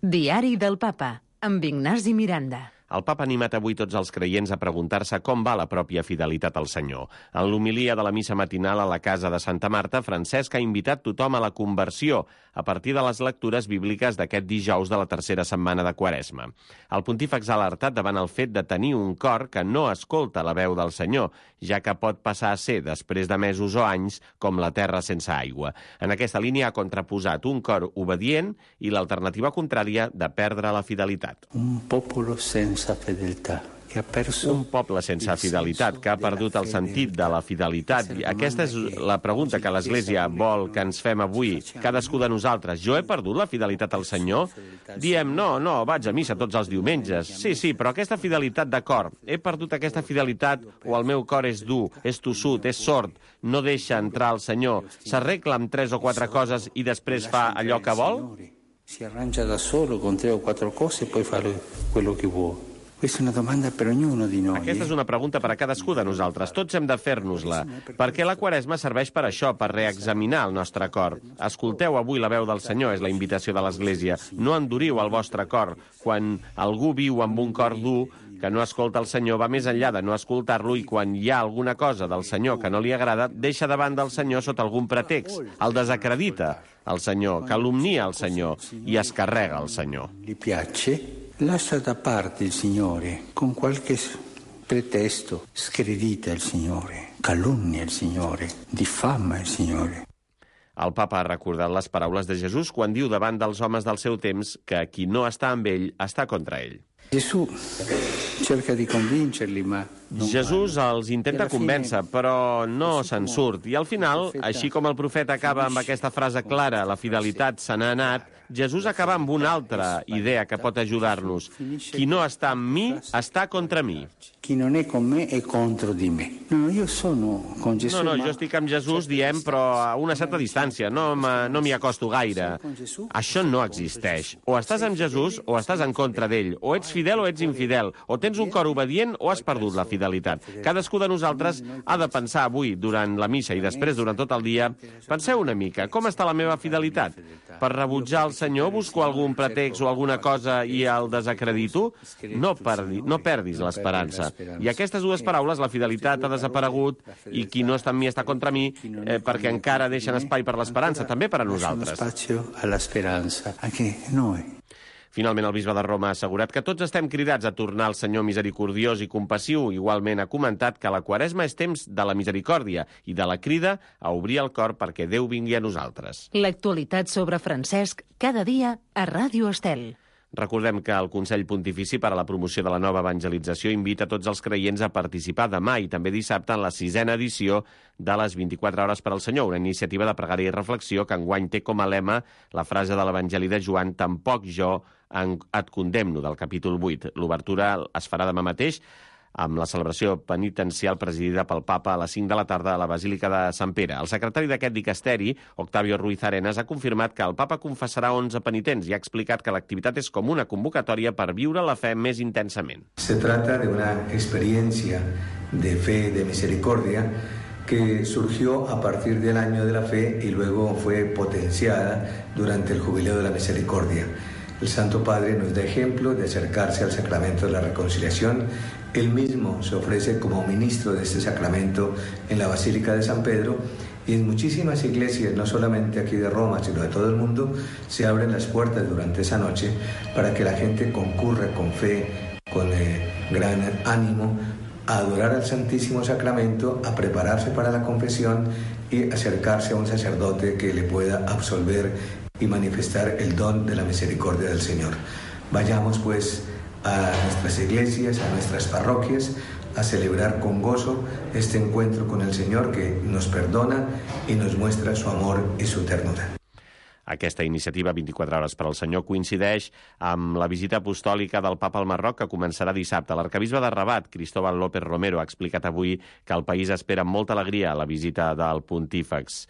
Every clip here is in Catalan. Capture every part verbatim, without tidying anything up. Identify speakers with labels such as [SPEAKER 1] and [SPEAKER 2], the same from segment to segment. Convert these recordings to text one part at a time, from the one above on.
[SPEAKER 1] Diari del Papa, amb Ignasi Miranda.
[SPEAKER 2] El papa ha animat avui tots els creients a preguntar-se com va la pròpia fidelitat al Senyor. En l'homilia de la missa matinal a la casa de Santa Marta, Francesc ha invitat tothom a la conversió a partir de les lectures bíbliques d'aquest dijous de la tercera setmana de Quaresma. El pontífex ha alertat davant el fet de tenir un cor que no escolta la veu del Senyor, ja que pot passar a ser, després de mesos o anys, com la terra sense aigua. En aquesta línia ha contraposat un cor obedient i l'alternativa contrària de perdre la fidelitat.
[SPEAKER 3] Un popolo sense fidelitat.
[SPEAKER 2] Un poble sense fidelitat, que ha perdut el sentit de la fidelitat. Aquesta és la pregunta que l'Església vol que ens fem avui, cadascú de nosaltres. Jo he perdut la fidelitat al Senyor? Diem, no, no, vaig a missa tots els diumenges. Sí, sí, però aquesta fidelitat de cor, he perdut aquesta fidelitat o el meu cor és dur, és tossut, és sord, no deixa entrar el Senyor, s'arregla amb tres o quatre coses i després fa allò que vol?
[SPEAKER 3] Si arrangia da solo con tre o quattro cose e poi fa quello che vuole. Questa è una domanda per ognuno di noi.
[SPEAKER 2] Aquesta és una pregunta per a cadascú de nosaltres. Tots hem de fer-nos-la. Perquè la Quaresma serveix per això, per reexaminar el nostre cor. Escolteu avui la veu del Senyor, és la invitació de l'Església. No enduriu el vostre cor. Quan algú viu amb un cor dur, que no escolta el Senyor, va més enllà de no escoltar-lo, i quan hi ha alguna cosa del Senyor que no li agrada, deixa davant del Senyor sota algun pretext. El desacredita el Senyor, calumnia el Senyor i es carrega el Senyor.
[SPEAKER 3] Li piace? Lascia da parte il Signore, con qualche pretesto, scredita il Signore, calunnia il Signore, diffama il Signore.
[SPEAKER 2] El papa ha recordat les paraules de Jesús quan diu davant dels homes del seu temps que qui no està amb ell està contra ell.
[SPEAKER 3] Gesù cerca di convincerli, ma
[SPEAKER 2] Jesús els intenta convèncer, però no se'n surt. I al final, així com el profeta acaba amb aquesta frase clara, la fidelitat se n'ha anat, Jesús acaba amb una altra idea que pot ajudar-nos. Qui no està amb mi, està contra mi.
[SPEAKER 3] Qui non è con me è contro di me. No, io sono con Gesù.
[SPEAKER 2] No, no, jo estic amb Jesús, diem, però a una certa distància, no m'hi acosto gaire. Això no existeix. O estàs amb Jesús o estàs en contra d'ell. O ets fidel o ets infidel. O tens un cor obedient o has perdut la fidelitat. Cadascú de nosaltres ha de pensar avui, durant la missa i després durant tot el dia, penseu una mica, com està la meva fidelitat? Per rebutjar el Senyor busco algun pretext o alguna cosa i el desacredito? No, perdi, no perdis l'esperança. I aquestes dues paraules, la fidelitat ha desaparegut i qui no està amb mi està contra mi, eh, perquè encara deixen espai per l'esperança, també per a nosaltres.
[SPEAKER 3] Spazio all'esperanza, anche noi.
[SPEAKER 2] Finalment, el bisbe de Roma ha assegurat que tots estem cridats a tornar al Senyor misericordiós i compassiu. Igualment ha comentat que la Quaresma és temps de la misericòrdia i de la crida a obrir el cor perquè Déu vingui a nosaltres.
[SPEAKER 1] L'actualitat sobre Francesc, cada dia a Ràdio Estel.
[SPEAKER 2] Recordem que el Consell Pontifici per a la Promoció de la Nova Evangelització invita tots els creients a participar demà i també dissabte en la sisena edició de les vint-i-quatre hores per al Senyor, una iniciativa de pregària i reflexió que enguany té com a lema la frase de l'Evangeli de Joan, tampoc jo et condemno, del capítol vuit. L'obertura es farà demà mateix amb la celebració penitencial presidida pel papa a les cinc de la tarda a la Basílica de Sant Pere. El secretari d'aquest dicasteri, Octavio Ruiz Arenas, ha confirmat que el papa confessarà onze penitents i ha explicat que l'activitat és com una convocatòria per viure la fe més intensament.
[SPEAKER 4] Se trata de una experiencia de fe, de misericordia, que surgió a partir del año de la fe y luego fue potenciada durante el Jubileo de la Misericordia. El Santo Padre nos da ejemplo de acercarse al sacramento de la reconciliación. Él mismo se ofrece como ministro de este sacramento en la Basílica de San Pedro, y en muchísimas iglesias, no solamente aquí de Roma, sino de todo el mundo, se abren las puertas durante esa noche para que la gente concurra con fe, con eh, gran ánimo, a adorar al Santísimo Sacramento, a prepararse para la confesión y acercarse a un sacerdote que le pueda absolver y manifestar el don de la misericordia del Señor. Vayamos pues a nuestras iglesias, a nuestras parroquias, a celebrar con gozo este encuentro con el Señor que nos perdona y nos muestra su amor y su ternura.
[SPEAKER 2] Aquesta iniciativa vint-i-quatre hores per al Senyor coincideix amb la visita apostòlica del papa al Marroc, que començarà dissabte. L'arcabisbe de Rabat, Cristóbal López Romero, ha explicat avui que el país espera amb molta alegria la visita del pontífex.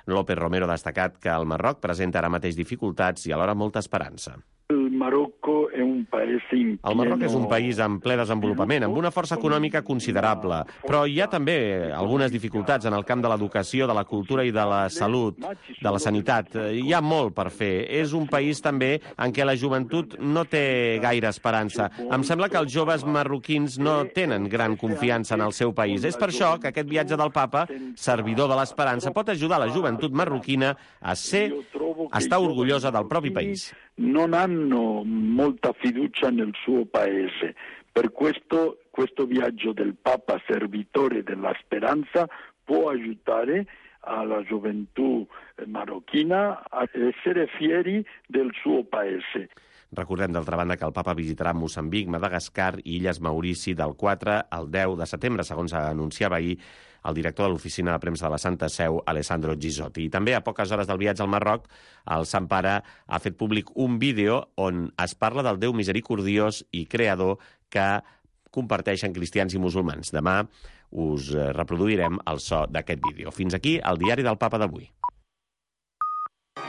[SPEAKER 2] López Romero ha destacat que el Marroc presenta ara mateix dificultats i alhora molta esperança.
[SPEAKER 5] El Marocco è un paese in
[SPEAKER 2] El Marroc és un país en ple desenvolupament, amb una força econòmica considerable, però hi ha també algunes dificultats en el camp de l'educació, de la cultura i de la salut, de la sanitat. Hi ha molt per fer. És un país també en què la joventut no té gaire esperança. Em sembla que els joves marroquins no tenen gran confiança en el seu país. És per això que aquest viatge del papa, servidor de l'esperança, pot ajudar la joventut marroquina a ser, a estar orgullosa del propi país.
[SPEAKER 5] Non hanno molta fiducia nel suo paese. Per questo questo viaggio del Papa servitore della speranza può aiutare alla gioventù marocchina a essere fieri del suo paese.
[SPEAKER 2] Recordem, d'altra banda, que el papa visitarà Moçambic, Madagascar i Illes Maurici del quatre al deu de setembre, segons anunciava ahir el director de l'Oficina de Premsa de la Santa Seu, Alessandro Gisotti. I també, a poques hores del viatge al Marroc, el Sant Pare ha fet públic un vídeo on es parla del Déu misericordiós i creador que comparteixen cristians i musulmans. Demà us reproduirem el so d'aquest vídeo. Fins aquí el diari del Papa d'avui.